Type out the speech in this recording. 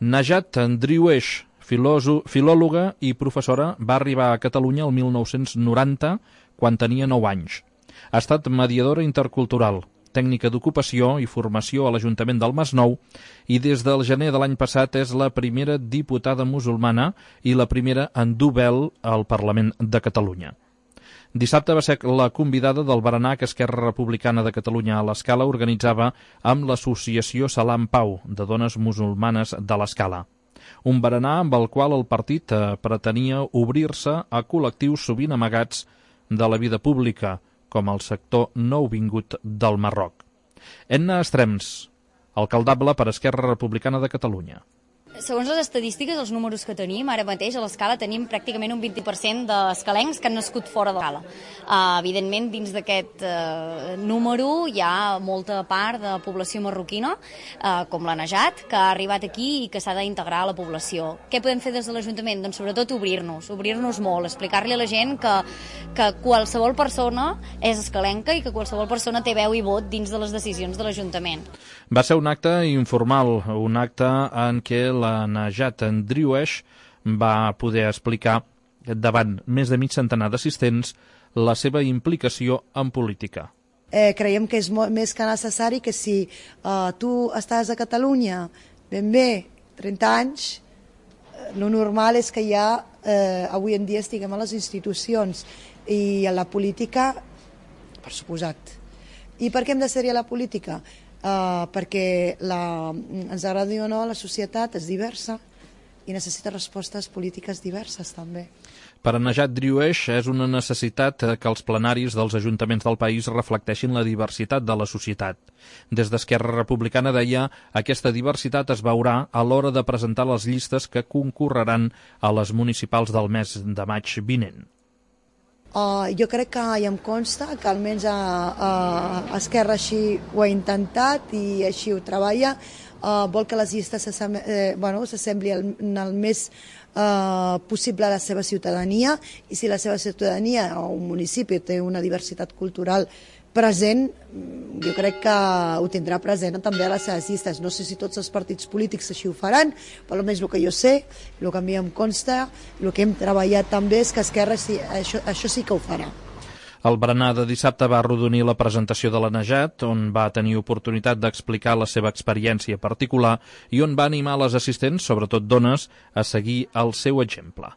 Najat Driouech, filòloga i professora, va arribar a Catalunya el 1990, quan tenia 9 anys. Ha estat mediadora intercultural, tècnica d'ocupació i formació a l'Ajuntament del Masnou i des del gener de l'any passat és la primera diputada musulmana i la primera en dur vel al Parlament de Catalunya. Dissabte va ser la convidada del berenar que Esquerra Republicana de Catalunya a l'Escala organitzava amb l'Associació Salam Pau, de dones musulmanes de l'Escala. Un berenar amb el qual el partit pretenia obrir-se a col·lectius sovint amagats de la vida pública, com el sector nouvingut del Marroc. Enna Estrems, alcaldable per Esquerra Republicana de Catalunya. Segons les estadístiques, els números que tenim, ara mateix a l'Escala tenim pràcticament un 20% d'escalencs que han nascut fora de l'Escala. Evidentment, dins d'aquest número hi ha molta part de població marroquina, com la Najat, que ha arribat aquí i que s'ha d'integrar a la població. Què podem fer des de l'Ajuntament? Doncs sobretot obrir-nos molt, explicar-li a la gent que qualsevol persona és escalenca i que qualsevol persona té veu i vot dins de les decisions de l'Ajuntament. Va ser un acte informal, un acte en què la Najat Driouech va poder explicar davant més de mig centenar d'assistents la seva implicació en política. Creiem que és més que necessari que si tu estàs a Catalunya ben bé 30 anys, el normal és que ja avui en dia estiguem a les institucions i a la política, per suposat. I per què hem de ser-hi a la política? Perquè ens agradi o no, la societat és diversa i necessita respostes polítiques diverses també. Per a Najat Driouech és una necessitat que els plenaris dels ajuntaments del país reflecteixin la diversitat de la societat. Des d'Esquerra Republicana deia aquesta diversitat es veurà a l'hora de presentar les llistes que concorreran a les municipals del mes de maig vinent. Jo crec que ja em consta que almenys Esquerra així ho ha intentat i així ho treballa. Vol que les llistes s'assembli el més possible a la seva ciutadania, i si la seva ciutadania o un municipi té una diversitat cultural present, jo crec que ho tindrà present també a les seves llistes. No sé si tots els partits polítics així ho faran, però almenys el que jo sé, el que a mi em consta, el que hem treballat també és que Esquerra això sí que ho farà. El berenar de dissabte va arrodonir la presentació de la Najat, on va tenir oportunitat d'explicar la seva experiència particular i on va animar les assistents, sobretot dones, a seguir el seu exemple.